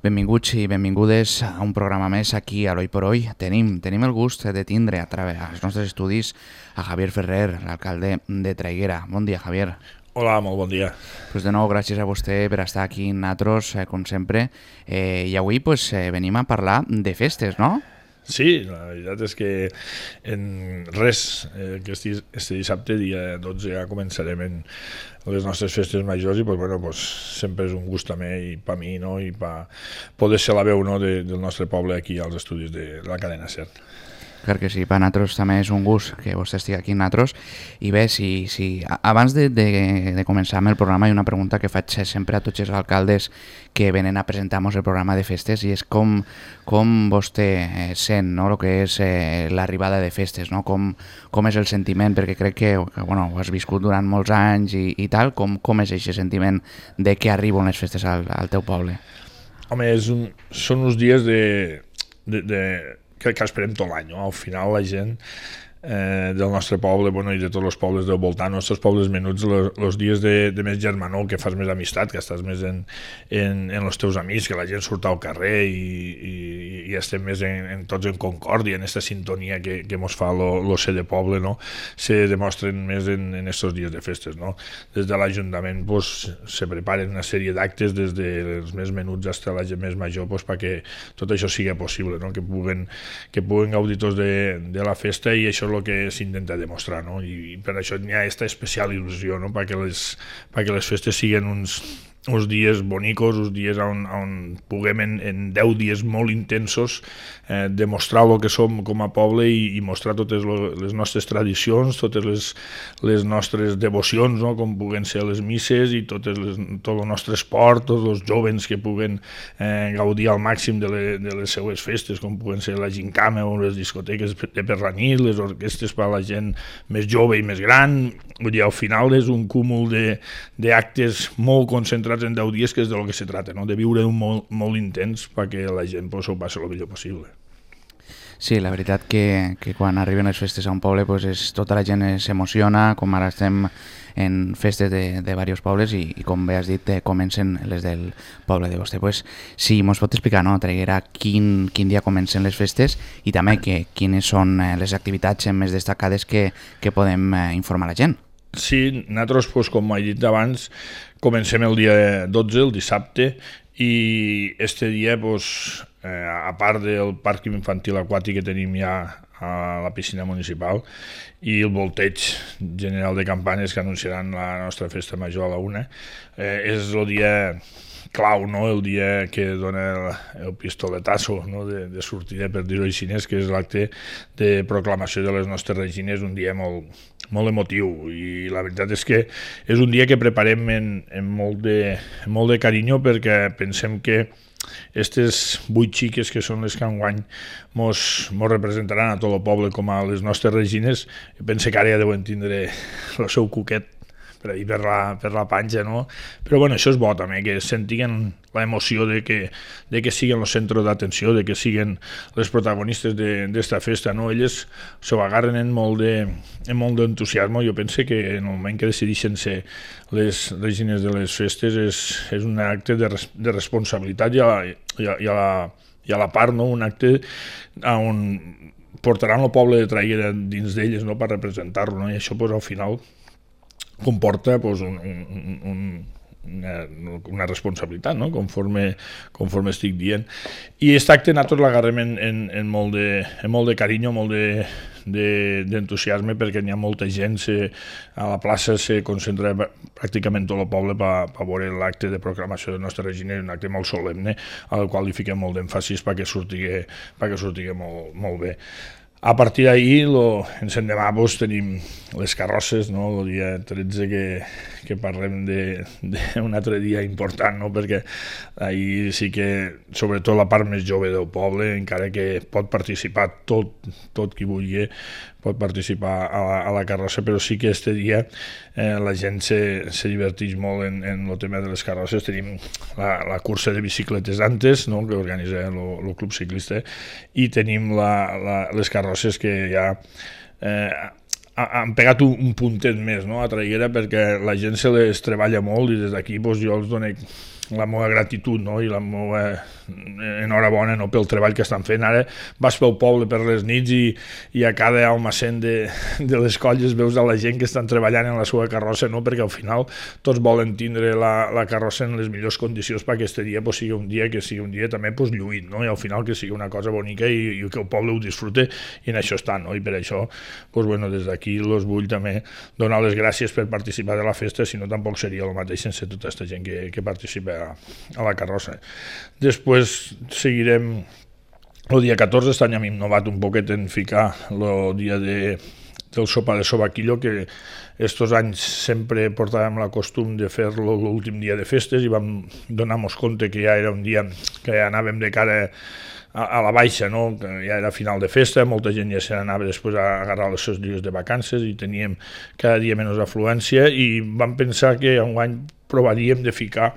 Benvinguts i benvingudes a un programa més aquí a l'Hoy por Hoy. Tenim el gust de tindre a través dels nostres estudis a Javier Ferrer, l'alcalde de Traiguera. Bon dia, Javier. Hola, molt bon dia. Pues de nou, gràcies a vostè per estar aquí amb nosaltres, com sempre. I avui venim a parlar de festes, no? Sí, la veritat és que en res, este dissabte, dia 12, ja començarem en les nostres festes majors i sempre és un gust també i per mi, no? I per poder ser la veu, no? del nostre poble aquí als estudis de la cadena SER. Clar que sí, per nosaltres també és un gust que vostè estigui aquí amb nosaltres. I bé, abans de començar amb el programa hi ha una pregunta que faig sempre a tots els alcaldes que venen a presentar-nos el programa de festes i és com vostè sent, no? El que és l'arribada de festes, no? Com és el sentiment, perquè crec que ho has viscut durant molts anys i tal, com és aquest sentiment de que arriben les festes al teu poble? Home, són uns dies que esperem tot l'any, no? Al final la gent del nostre poble i de tots els pobles del voltant, els nostres pobles menuts, els dies de més germanor, que fas més amistat, que estàs més en els teus amics, que la gent surt al carrer i estem més tots en concòrdia, en aquesta sintonia que mos fa el ser de poble, no? Se demostren més en aquests dies de festes, no? Des de l'Ajuntament se preparen una sèrie d'actes des dels més menuts fins a la gent més major perquè tot això sigui possible, no? Que puguen gaudir tots de la festa, i això és el que s'intenta demostrar, no? I per això hi ha aquesta especial il·lusió, no? Perquè les festes siguin uns dies bonicos, uns dies on puguem en 10 dies molt intensos demostrar el que som com a poble i mostrar totes les nostres tradicions, totes les nostres devocions, no? Com puguen ser les misses i tot el nostre esport, tots els jovens que puguen gaudir al màxim de les seues festes, com puguen ser la gincama o les discoteques per la nit, les orquestres per a la gent més jove i més gran. Vull dir, al final és un cúmul d'actes molt concentrats en 10 dies, que és del que se trata, no? De viure un molt intens perquè la gent s'ho passi el millor possible. Sí, la veritat que quan arriben les festes a un poble tota la gent s'emociona, com ara estem en festes de diversos pobles i com bé has dit, comencen les del poble de vostè. Sí, mos pot explicar, no, Traiguera, quin dia comencen les festes i també quines són les activitats més destacades que podem informar la gent? Sí, nosaltres, com he dit abans, comencem el dia 12, el dissabte, i este dia, a part del parc infantil aquàtic que tenim ja a la piscina municipal i el volteig general de campanes que anunciaran la nostra festa major a la 1, és el dia clau, no? El dia que dona el pistoletazo, no? de sortida, per dir-ho així, que és l'acte de proclamació de les nostres regines, un dia molt emotiu, i la veritat és que és un dia que preparem amb molt de carinyo, perquè pensem que aquestes 8 xiques que són les que enguany mos representaran a tot el poble com a les nostres regines, pense que ara ja deuen tindre el seu cuquet per ahir per la panxa, no? Però això és bo també, que sentin l'emoció de que siguin el centre d'atenció, de que siguin les protagonistes d'esta festa, no? Elles s'ho agarren amb molt d'entusiasme. Jo penso que en el moment que decideixen ser les regines de les festes és un acte de responsabilitat i a la part, no? Un acte on portaran el poble de Traiguera dins d'elles, no? Per representar-lo, no? I això al final comporta una responsabilitat, no? Conforme estic dient. I aquest acte nosaltres l'agarrem en molt de carinyo, molt d'entusiasme, perquè n'hi ha molta gent, a la plaça se concentra pràcticament tot el poble per veure l'acte de proclamació de la nostra regina, un acte molt solemne, al qual li fiquem molt d'èmfasis perquè surti molt bé. A partir d'ahir, ens endemà, tenim les carrosses, no? El dia 13 que parlem d'un altre dia important, no? Perquè ahir sí que, sobretot la part més jove del poble, encara que pot participar tot qui vulgui, pot participar a la carrossa, però sí que este dia la gent se diverteix molt en el tema de les carrosses. Tenim la cursa de bicicletes antes, no? Que organitza el club ciclista, i tenim les carrosses que ja han pegat un puntet més, no? A Traiguera, perquè la gent se les treballa molt, i des d'aquí jo els dono la meva gratitud, no? I la meva enhorabona, no? Pel treball que estan fent. Ara vas pel poble per les nits i a cada almacén de les colles veus a la gent que estan treballant en la seva carrossa, no? Perquè al final tots volen tindre la carrossa en les millors condicions perquè aquest dia pues, sigui un dia que sigui un dia també pues, lluït, no? I al final que sigui una cosa bonica i que el poble ho disfrute i en això està, no? I per això pues, bueno, des d'aquí els vull també donar les gràcies per participar de la festa, si no tampoc seria el mateix sense tota aquesta gent que participa a la carrossa. Després seguirem el dia 14, este any hem innovat un poquet en ficar el dia del sopar de sobaquillo, que estos anys sempre portàvem la costum de fer-lo l'últim dia de festes i vam donar-nos compte que ja era un dia que anàvem de cara a la baixa, no? Que ja era final de festa, molta gent ja se n'anava després a agarrar els seus dies de vacances i teníem cada dia menys afluència i vam pensar que enguany provaríem de ficar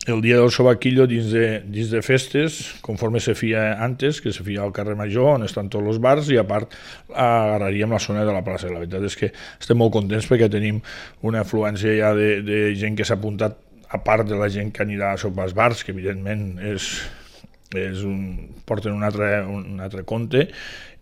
el dia del sobaquillo dins de festes, conforme se feia antes, que se feia al carrer Major, on estan tots els bars, i a part agarraríem la zona de la plaça. La veritat és que estem molt contents perquè tenim una afluència ja de gent que s'ha apuntat, a part de la gent que anirà a sopar als bars, que evidentment porten un altre compte,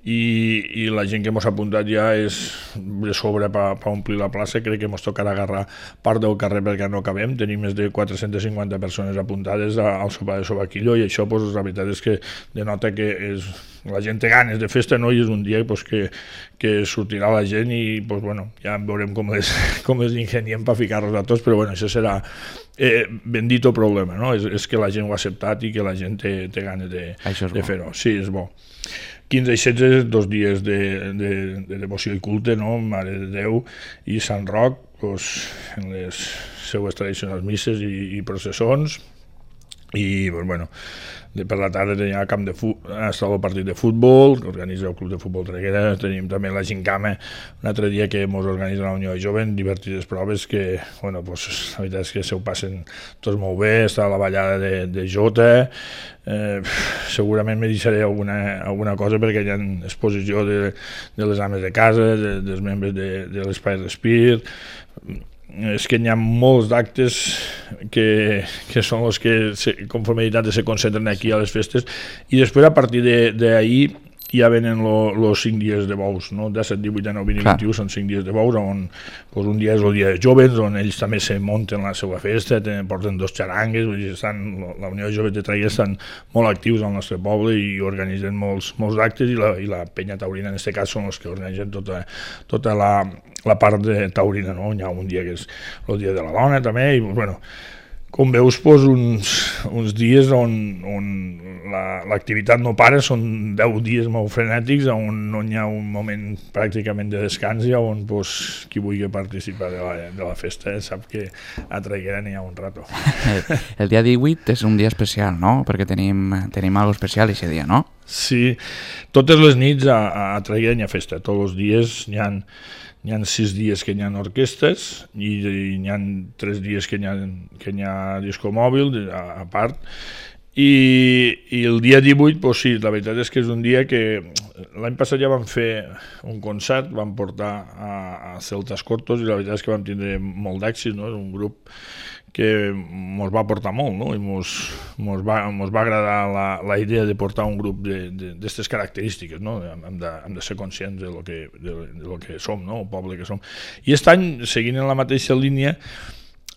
i la gent que ens ha apuntat ja és de sobre per omplir la plaça. Crec que ens tocarà agarrar part del carrer perquè no acabem. Tenim més de 450 persones apuntades al sopar de sobaquillo i això pues, la veritat és que denota que la gent té ganes de festa, no? I és un dia pues, que sortirà la gent i pues, bueno, ja veurem com les ingeniem per ficar-los a tots, però bueno, això serà bendito problema, no? És que la gent ho ha acceptat i que la gent té ganes de fer-ho. Sí, és bo. 15 i 16, 2 dies de devoció i culte, no? Mare de Déu i Sant Roc, doncs, en les seues tradicionals misses i processons, i doncs, bueno, per la tarda tenim el camp el partit de futbol que organitza el Club de Futbol Traiguera. Tenim també la gincama un altre dia que ens organitza la Unió de Jovent, divertides proves que, bueno, pues, la veritat és que se ho passen tots molt bé. Està la ballada de Jota, segurament me deixaré alguna cosa perquè hi ha exposició de les ames de casa, dels membres de l'Espai Respir. És que hi ha molts d'actes que són els que conforme se concentren aquí a les festes, i després a partir d'ahir ja venen els 5 dies de bous, no? 17, 18, 19, 20 i 21 són 5 dies de bous, on pues, un dia és el dia de joves, on ells també se munten la seva festa, porten 2 xarangues, la Unió de Joves de Traiguera estan molt actius al nostre poble i organitzen molts actes, i la penya taurina en aquest cas són els que organitzen tota la part de taurina, no? Hi ha un dia que és el dia de la dona també, i bueno, com veus, pues, uns dies on l'activitat no para, són 10 dies molt frenètics, on no hi ha un moment pràcticament de descans i on pues, qui vulgui participar de la festa sap que a Traiguera n'hi ha un rato. El dia 18 és un dia especial, no? Perquè tenim alguna especial aquest dia, no? Sí, totes les nits a Traiguera n'hi ha festa, tots els dies n'hi ha 6 dies que hi ha orquestes i n'hi ha 3 dies que hi ha disco mòbil a part, i el dia 18, pues sí, la veritat és que és un dia que l'any passat ja vam fer un concert, vam portar a Celtas Cortos i la veritat és que vam tindre molt d'èxit, no? És un grup que ens va portar molt, no? I ens va agradar la idea de portar un grup d'aquestes característiques, no? Hem de ser conscients de lo que som, no? El poble que som. I aquest any, seguint en la mateixa línia,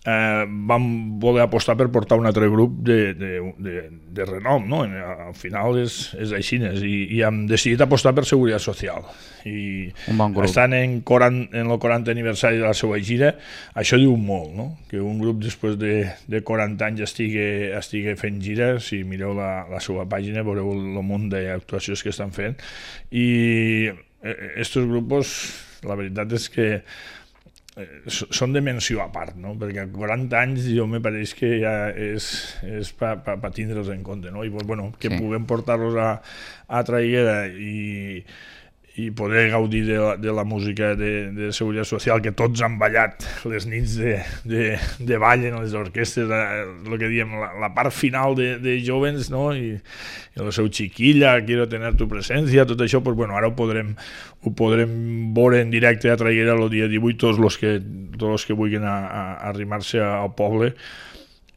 vam voler apostar per portar un altre grup de renom, no? Al final és així, i hem decidit apostar per Seguretat Social, i estan en el 40 aniversari de la seva gira. Això diu molt, no? Que un grup després de 40 anys estigui fent gira. Si mireu la seva pàgina veureu el munt d'actuacions que estan fent, i aquests grups, la veritat és que són de menció a part, no? Perquè 40 anys jo me pareix que ja és per tindre'ls en compte, no? I bueno, que puguem portar-los a Traiguera i poder gaudir de la música de Seguretat Social, que tots han ballat les nits de ball en les orquestes, el que diem, la part final de Jovens, no? I el seu Chiquilla, Quiero tener tu presencia, tot això, pues bueno, ara ho podrem veure en directe a Traiguera el dia 18, tots els que vulguin arrimar-se al poble,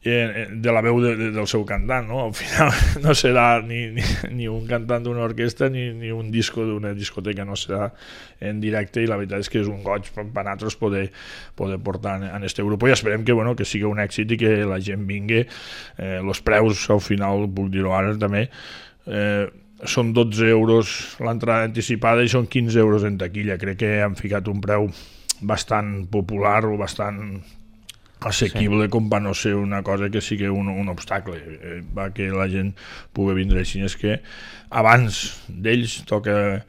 de la veu del seu cantant, no? Al final no serà ni un cantant d'una orquestra ni un disco d'una discoteca, no serà en directe, i la veritat és que és un goig per nosaltres poder portar en este grup, i esperem que sigui un èxit i que la gent vingui. Els preus, al final, puc dir-ho ara també, són 12 euros l'entrada anticipada i són 15 euros en taquilla. Crec que han ficat un preu bastant popular o bastant assequible, com per no ser una cosa que sigui un obstacle, va que la gent pugui vindre així. És que abans d'ells toca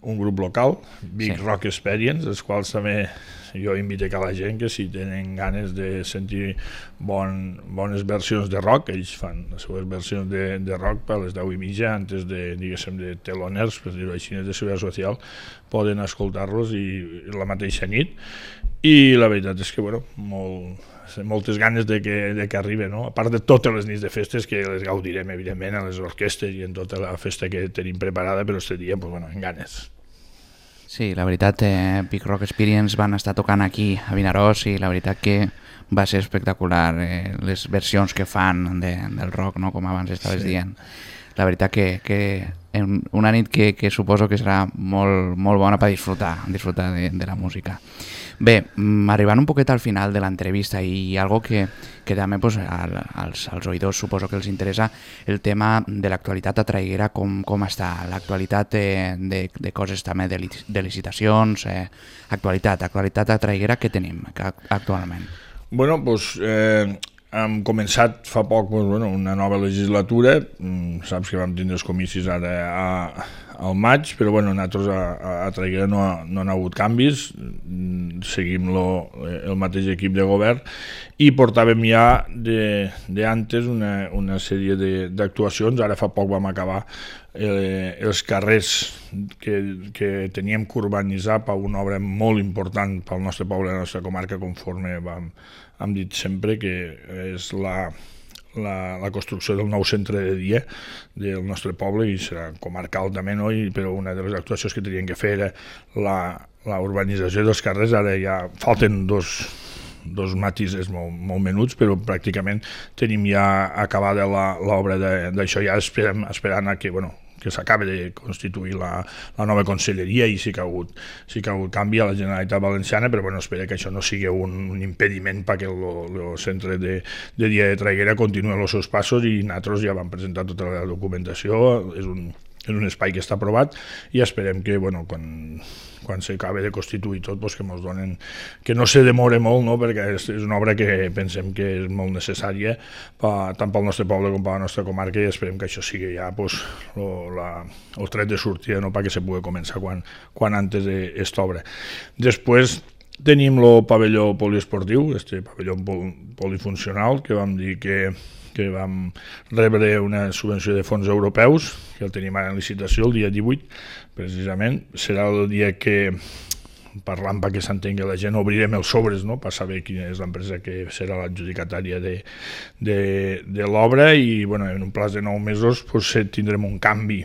un grup local, Big Rock Experience, els quals també jo invito a la gent que si tenen ganes de sentir bones versions de rock, ells fan les seves versions de rock per les 10:30 antes de, diguéssim, de teloners, per dir-ho així, de seguretat social, poden escoltar-los i la mateixa nit, i la veritat és que, moltes ganes de que arribi, no? A part de totes les nits de festes, que les gaudirem, evidentment, a les orquestes i en tota la festa que tenim preparada, però aquest dia, en ganes. Sí, la veritat, Big Rock Experience van estar tocant aquí a Vinaròs i la veritat que va ser espectacular les versions que fan del rock, no? Com abans estaves dient. La veritat que una nit que suposo que serà molt bona per disfrutar de la música. Bé, arribant un poquet al final de l'entrevista, i algo que també als oïdors suposo que els interessa, el tema de l'actualitat a Traiguera, com està, l'actualitat de coses també de licitacions, actualitat a Traiguera, què tenim actualment? Hem començat fa poc una nova legislatura, saps que vam tindre els comicis ara al maig, però nosaltres a Traiguera no han hagut canvis, seguim el mateix equip de govern, i portàvem ja d'antes una sèrie d'actuacions. Ara fa poc vam acabar els carrers que teníem que urbanitzar per una obra molt important pel nostre poble, la nostra comarca, conforme hem dit sempre, que és la construcció del nou centre de dia del nostre poble, i serà comarcal també, no? Però una de les actuacions que tenien que fer era la urbanització dels carrers. Ara ja falten dos matisos molt menuts, però pràcticament tenim ja acabada l'obra d'això. Ja esperant a que s'acabi de constituir la nova conselleria, i sí que ha hagut canvi a la Generalitat Valenciana, però espero que això no sigui un impediment perquè el centre de dia de Traiguera continuï els seus passos, i nosaltres ja vam presentar tota la documentació. És un espai que està aprovat, i esperem que quan s'acabi de constituir tot, que ens donen, que no se demore molt, no? Perquè és una obra que pensem que és molt necessària tant pel nostre poble com per la nostra comarca, i esperem que això sigui ja el tret de sortida, no? Perquè se pugui començar quan antes d'esta obra. Després tenim el pavelló poliesportiu, este pavelló polifuncional, que vam dir que vam rebre una subvenció de fons europeus, que el tenim ara en licitació el dia 18, precisament. Serà el dia que, parlant perquè s'entengui la gent, obrirem els sobres, no?, per saber quina és l'empresa que serà l'adjudicatària de l'obra, i en un plaç de 9 mesos tindrem un canvi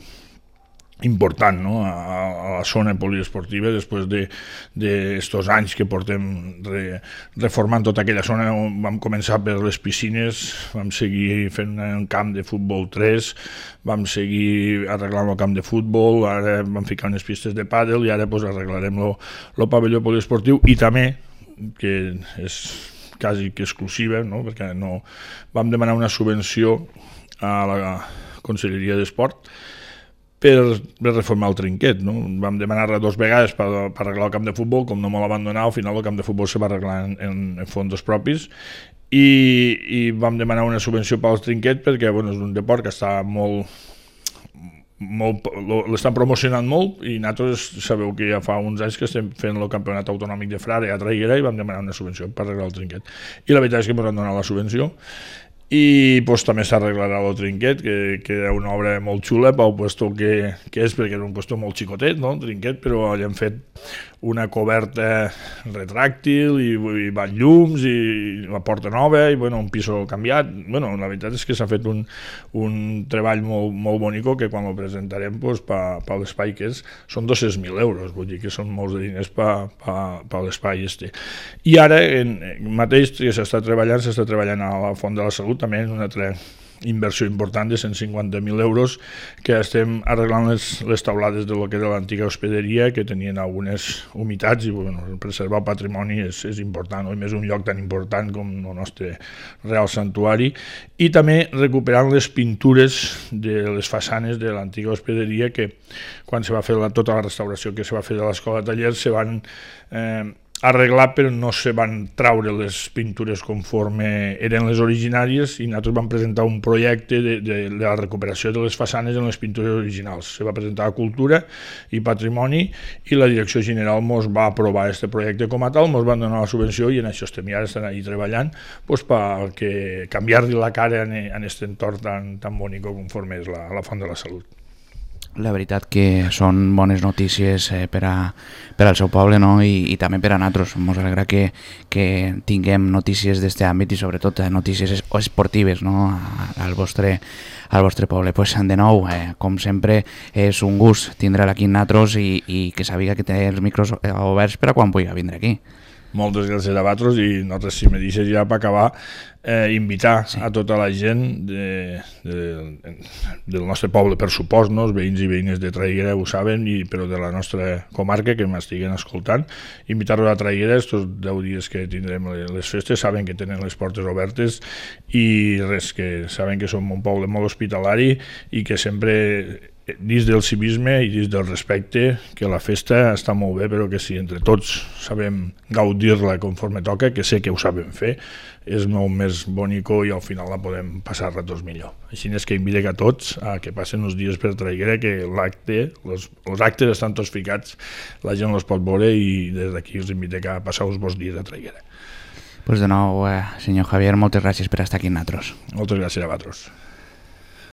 important, no?, a la zona poliesportiva, després d'estos anys que portem reformant tota aquella zona. Vam començar per les piscines, vam seguir fent un camp de futbol 3, vam seguir arreglant el camp de futbol, ara vam ficar unes pistes de pàdel, i ara arreglarem el pavelló poliesportiu, i també, que és quasi que exclusiva, no?, perquè vam demanar una subvenció a la Conselleria d'Esport per reformar el trinquet, no? Vam demanar-la 2 vegades per arreglar el camp de futbol. Com no me la van donar, al final el camp de futbol se va arreglar en fons propis, i vam demanar una subvenció pel trinquet perquè és un deport que està l'estan promocionant molt, i nosaltres sabeu que ja fa uns anys que estem fent el campionat autonòmic de Frare a Traiguera, i vam demanar una subvenció per arreglar el trinquet, i la veritat és que ens han donat la subvenció, i també s'arreglarà el trinquet, que era una obra molt xula pel puesto que és, perquè era un puesto molt xicotet, no?, el trinquet, però allà han fet una coberta retràctil i llums i la porta nova i un piso canviat. La veritat és que s'ha fet un treball molt bonic, que quan el presentarem per l'espai que és, són 200.000 euros, vull dir que són molts de diners per l'espai este. I ara mateix que s'està treballant a la Font de la Salut, Salut, també una altra inversió important de 150.000 euros, que estem arreglant les taulades de lo que era l'antiga hospederia, que tenien algunes humitats, i preservar el patrimoni és important, i més un lloc tan important com el nostre Real Santuari, i també recuperant les pintures de les façanes de l'antiga hospederia, que quan se va fer tota la restauració que se va fer de l'escola de tallers se van arreglar, però no se van traure les pintures conforme eren les originàries, i nosaltres vam presentar un projecte de la recuperació de les façanes en les pintures originals. Se va presentar a Cultura i Patrimoni, i la Direcció General ens va aprovar aquest projecte com a tal, ens van donar la subvenció, i en això estem ja ahí treballant per canviar-li la cara en aquest entorn tan bonic conforme és la Font de la Salut. La veritat que són bones notícies per al seu poble, no? I també per a nosaltres. Ens alegra que tinguem notícies d'aquest àmbit, i sobretot notícies esportives, no? al vostre poble. Pues, de nou, com sempre, és un gust tindre-la aquí amb nosaltres, i que sàpiga que té els micros oberts per a quan pugui vindre aquí. Moltes gràcies a vosaltres, i nosaltres, si me deixes ja per acabar, invitar a tota la gent del nostre poble, per supost, no? Els veïns i veïnes de Traiguera ho saben, però de la nostra comarca, que m'estiguen escoltant, invitar-los a Traiguera. Estos 10 dies que tindrem les festes, saben que tenen les portes obertes, i res, que saben que som un poble molt hospitalari, i que sempre, dins del civisme i dins del respecte, que la festa està molt bé, però que si entre tots sabem gaudir-la conforme toca, que sé que ho sabem fer, és molt més bonico, i al final la podem passar ratos millor. Així és que invito a tots a que passen uns dies per Traiguera, que els actes estan tots ficats, la gent els pot veure, i des d'aquí us invito a passar uns bons dies a Traiguera. Pues de nou, senyor Javier, moltes gràcies per estar aquí amb nosaltres. Moltes gràcies a vosaltres.